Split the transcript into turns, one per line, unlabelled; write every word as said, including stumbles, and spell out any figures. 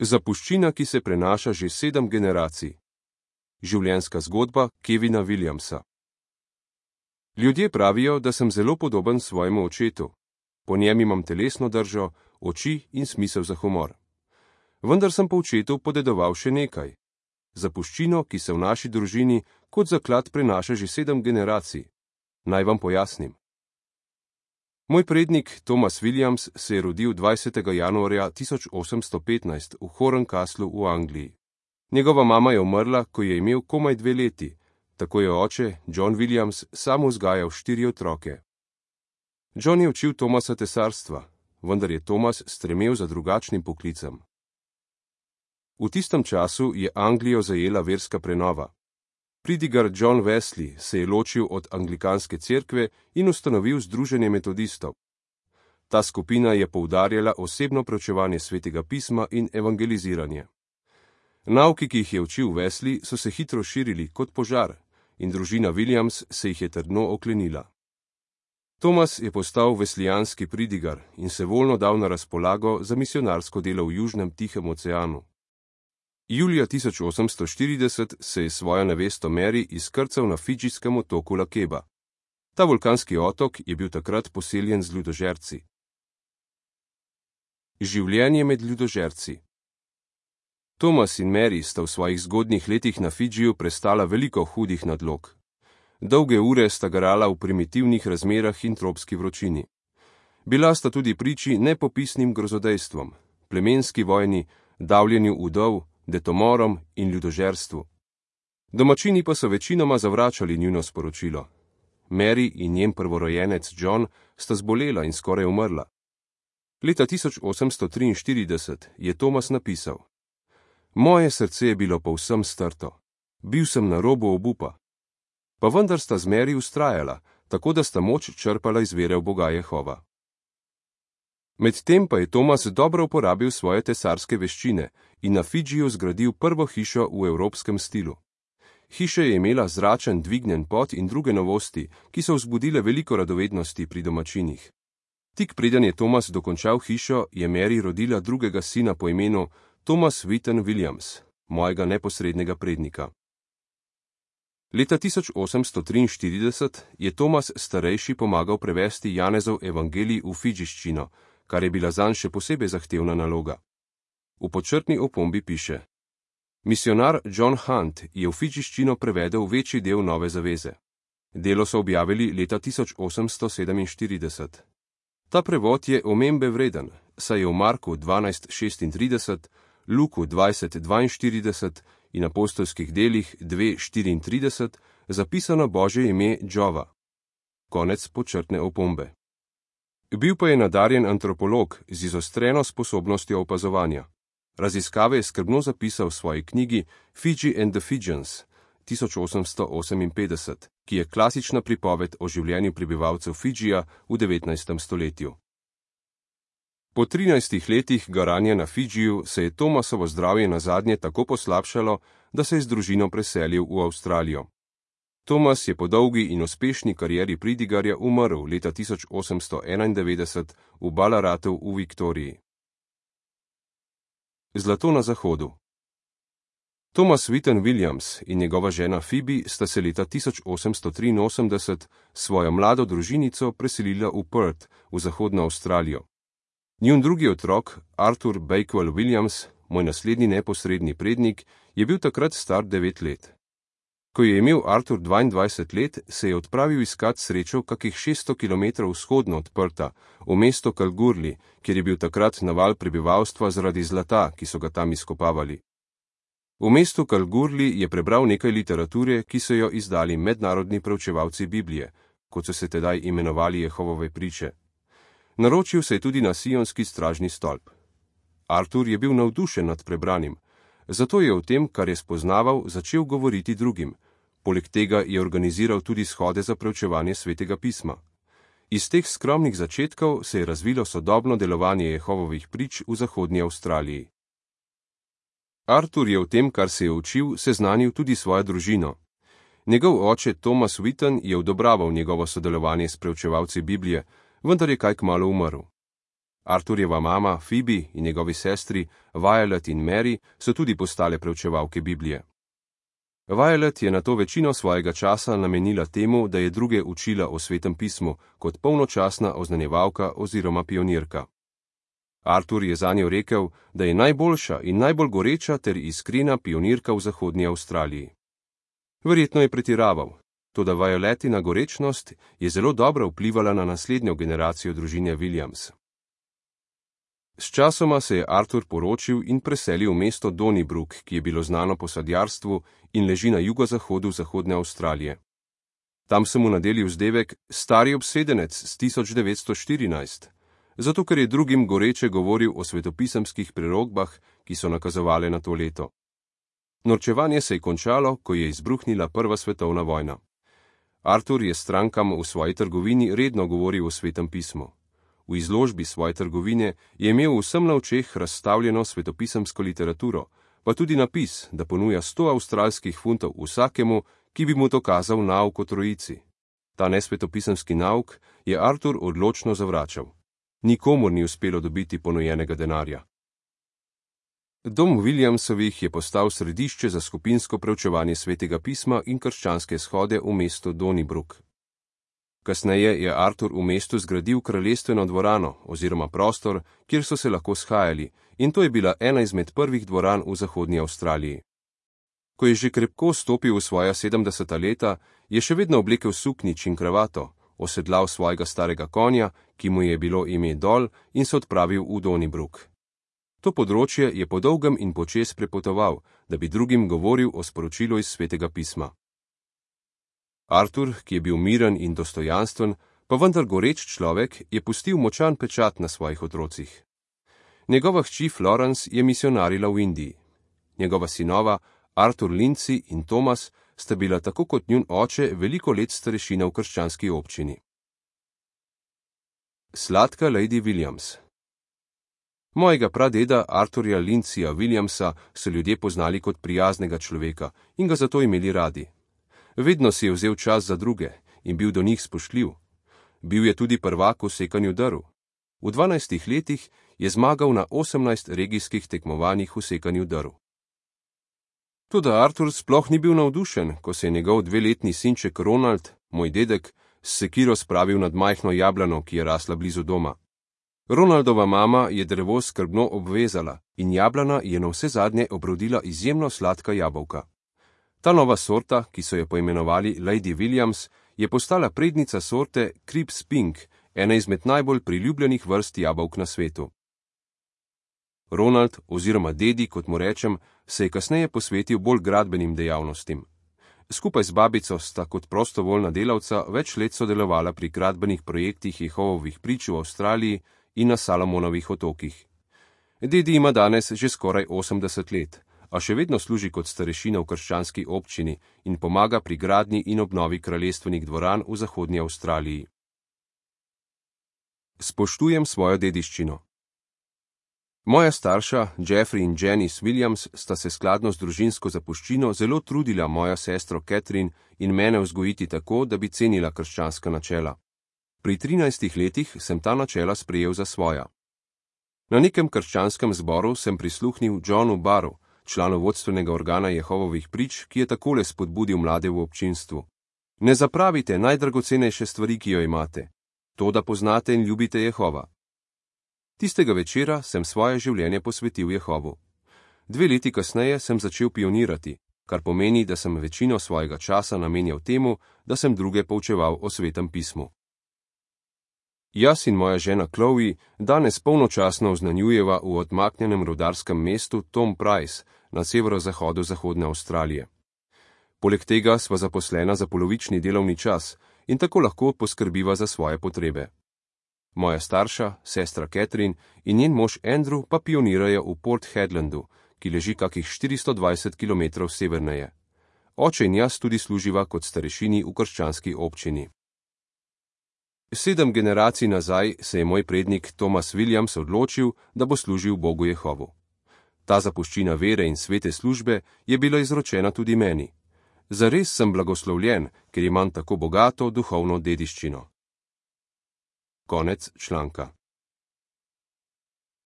Zapuščina, ki se prenaša že sedem generacij. Življenjska zgodba Kevina Williamsa. Ljudje pravijo, da sem zelo podoben svojemu očetu. Po njem imam telesno držo, oči in smisel za humor. Vendar sem po očetu podedoval še nekaj. Zapuščino, ki se v naši družini kot zaklad prenaša že sedem generacij. Naj vam pojasnim. Moj prednik Thomas Williams se je rodil dvajsetega januarja tisoč osemsto petnajst v Horncastlu v Angliji. Njegova mama je umrla, ko je imel komaj dve leti, tako je oče, John Williams, sam vzgajal štiri otroke. John je učil Thomasa tesarstva, vendar je Thomas stremel za drugačnim poklicem. V tistem času je Anglijo zajela verska prenova. Pridigar John Wesley se je ločil od anglikanske cerkve in ustanovil Združenje metodistov. Ta skupina je poudarjala osebno preučevanje svetega pisma in evangeliziranje. Nauki, ki jih je učil Wesley, so se hitro širili kot požar in družina Williams se jih je trdno oklenila. Thomas je postal veslijanski pridigar in se voljno dal na razpolago za misionarsko delo v Južnem Tihem oceanu. Julija tisoč osemsto štirideset se je svojo nevesto Mary izkrcal na fidžijskem otoku Lakeba. Ta vulkanski otok je bil takrat poseljen z ljudožerci. Življenje med ljudožerci. Thomas in Mary sta v svojih zgodnjih letih na Fidžiju prestala veliko hudih nadlog. Dolge ure sta garala v primitivnih razmerah in tropski vročini. Bila sta tudi priči nepopisnim grozodejstvom, plemenski vojni, davljenju udov, detomorom in ljudožerstvu. Domačini pa so večinoma zavračali njuno sporočilo. Mary in njen prvorojenec John sta zbolela in skoraj umrla. Leta tisoč osemsto triinštirideset je Thomas napisal: Moje srce je bilo povsem strto. Bil sem na robu obupa. Pa vendar sta z Mary vztrajala, tako da sta moč črpala iz vere v Boga Jehova. Medtem pa je Thomas dobro uporabil svoje tesarske veščine in na Fidžiju zgradil prvo hišo v evropskem stilu. Hiša je imela zračen dvignjen pod in druge novosti, ki so vzbudile veliko radovednosti pri domačinih. Tik preden je Thomas dokončal hišo, je Mary rodila drugega sina po imenu Thomas Whitten Williams, mojega neposrednega prednika. Leta tisoč osemsto triinštirideset je Thomas starejši pomagal prevesti Janezov evangelij v fidžiščino, kar je bila zanj še posebej zahtevna naloga. V podčrtni opombi piše: Misionar John Hunt je v fidžiščino prevedel večji del Nove zaveze. Delo so objavili leta tisoč osemsto sedeminštirideset. Ta prevod je omembe vreden, saj je v Marku dvanajst šestintrideset, Luku dvajset dvainštirideset in apostolskih delih dve štiriintrideset zapisano Božje ime Džova. Konec podčrtne opombe. Bil pa je nadarjen antropolog z izostreno sposobnostjo opazovanja. Raziskave je skrbno zapisal v svoji knjigi Fiji and the Fijians tisoč osemsto oseminpetdeset, ki je klasična pripoved o življenju prebivalcev Fidžija v devetnajstem stoletju. Po trinajstih letih garanja na Fidžiju se je Thomasovo zdravje nazadnje tako poslabšalo, da se je z družino preselil v Avstralijo. Thomas je po dolgi in uspešni karieri pridigarja umrl leta tisoč osemsto enaindevetdeset v Ballaratu v Viktoriji. Zlato na zahodu. Thomas Whitten Williams in njegova žena Phoebe sta se leta tisoč osemsto triinosemdeset svojo mlado družinico preselila v Perth v zahodno Avstralijo. Njun drugi otrok, Arthur Bakewell Williams, moj naslednji neposredni prednik, je bil takrat star devet let. Ko je imel Arthur dvaindvajset let, se je odpravil iskat srečo kakih šeststo kilometrov vzhodno od Pertha, v mesto Kalgoorlie, kjer je bil takrat naval prebivalstva zaradi zlata, ki so ga tam izkopavali. V mestu Kalgoorlie je prebral nekaj literature, ki so jo izdali mednarodni preučevalci Biblije, kot so se tedaj imenovali Jehovove priče. Naročil se je tudi na sionski stražni stolp. Arthur je bil navdušen nad prebranim, zato je o tem, kar je spoznaval, začel govoriti drugim. Poleg tega je organiziral tudi shode za preučevanje svetega pisma. Iz teh skromnih začetkov se je razvilo sodobno delovanje Jehovovih prič v zahodnji Avstraliji. Arthur je o tem, kar se je učil, seznanil tudi svojo družino. Njegov oče Thomas Whitten je odobraval njegovo sodelovanje s preučevalci Biblije, vendar je kaj kmalu umrl. Arthurjeva mama, Phoebe in njegovi sestri, Violet in Mary, so tudi postale preučevalke Biblije. Violet je nato večino svojega časa namenila temu, da je druge učila o Svetem pismu kot polnočasna oznanjevalka oziroma pionirka. Arthur je zanjo rekel, da je najboljša in najbolj goreča ter iskrena pionirka v zahodnji Avstraliji. Verjetno je pretiraval, toda Violetina gorečnost je zelo dobro vplivala na naslednjo generacijo družine Williams. Sčasoma se je Arthur poročil in preselil v mesto Donnybrook, ki je bilo znano po sadjarstvu in leži na jugozahodu zahodne Avstralije. Tam so mu nadeli vzdevek stari obsedenec s tisoč devetsto štirinajst, zato ker je drugim goreče govoril o svetopisemskih prerogbah, ki so nakazovale na to leto. Norčevanje se je končalo, ko je izbruhnila prva svetovna vojna. Arthur je strankam v svoji trgovini redno govoril o Svetem pismu. V izložbi svoje trgovine je imel vsem na očeh razstavljeno svetopisemsko literaturo, pa tudi napis, da ponuja sto avstralskih funtov vsakemu, ki bi mu dokazal nauk o trojici. Ta nesvetopisemski nauk je Arthur odločno zavračal. Nikomur ni uspelo dobiti ponujenega denarja. Dom Williamsovih je postal središče za skupinsko preučevanje Svetega pisma in krščanske shode v mestu Donnybrook. Kasneje je Arthur v mestu zgradil kraljestveno dvorano oziroma prostor, kjer so se lahko shajali, in to je bila ena izmed prvih dvoran v zahodnji Avstraliji. Ko je že krepko stopil v svoja sedemdeseta leta, je še vedno oblekel suknjič in kravato, osedlal svojega starega konja, ki mu je bilo ime Dol, in se odpravil v Donnybrook. To področje je po dolgem in počez prepotoval, da bi drugim govoril o sporočilu iz Svetega pisma. Arthur, ki je bil miren in dostojanstven, pa vendar goreč človek, je pustil močan pečat na svojih otrocih. Njegova hči Florence je misionarila v Indiji. Njegova sinova, Arthur Lindsay in Thomas, sta bila tako kot njun oče veliko let starešina v krščanski občini. Sladka Lady Williams. Mojega pradeda Arthurja Lindsaya Williamsa so ljudje poznali kot prijaznega človeka in ga zato imeli radi. Vedno si je vzel čas za druge in bil do njih spoštljiv. Bil je tudi prvak v sekanju drv. V dvanajstih letih je zmagal na osemnajst regijskih tekmovanjih v sekanju drv. Toda Arthur sploh ni bil navdušen, ko se je njegov dveletni sinček Ronald, moj dedek, s sekiro spravil nad majhno jablano, ki je rasla blizu doma. Ronaldova mama je drevo skrbno obvezala in jablana je na vse zadnje obrodila izjemno sladka jabolka. Ta nova sorta, ki so jo poimenovali Lady Williams, je postala prednica sorte Cribbs Pink, ena izmed najbolj priljubljenih vrst jabolk na svetu. Ronald, oziroma dedi, kot mu rečem, se je kasneje posvetil bolj gradbenim dejavnostim. Skupaj z babico sta kot prostovoljna delavca več let sodelovala pri gradbenih projektih Jehovovih prič v Avstraliji in na Salomonovih otokih. Dedi ima danes že skoraj osemdeset let, a še vedno služi kot starešina v krščanski občini in pomaga pri gradnji in obnovi kraljestvenih dvoran v zahodnji Avstraliji. Spoštujem svojo dediščino. Moja starša, Jeffrey in Janice Williams, sta se skladno z družinsko zapuščino zelo trudila mojo sestro Catherine in mene vzgojiti tako, da bi cenila krščanska načela. Pri trinajstih letih sem ta načela sprejel za svoja. Na nekem krščanskem zboru sem prisluhnil Johnu Barru, članu vodstvenega organa Jehovovih prič, ki je takole spodbudil mlade v občinstvu. Ne zapravite najdragocenejše stvari, ki jo imate. To, da poznate in ljubite Jehova. Tistega večera sem svoje življenje posvetil Jehovu. Dve leti kasneje sem začel pionirati, kar pomeni, da sem večino svojega časa namenjal temu, da sem druge poučeval o Svetem pismu. Jaz in moja žena Chloe danes polnočasno oznanjujeva v odmaknjenem rudarskem mestu Tom Price na severozahodu zahodne Avstralije. Poleg tega sva zaposlena za polovični delovni čas in tako lahko poskrbiva za svoje potrebe. Moja starša, sestra Catherine in njen mož Andrew pa pionirajo v Port Hedlandu, ki leži kakih štiristo dvajset kilometrov severneje. Oče in jaz tudi služiva kot starešini v krščanski občini. Sedem generacij nazaj se je moj prednik Thomas Williams odločil, da bo služil Bogu Jehovu. Ta zapuščina vere in svete službe je bila izročena tudi meni. Zares sem blagoslovljen, ker imam tako bogato duhovno dediščino. Konec članka.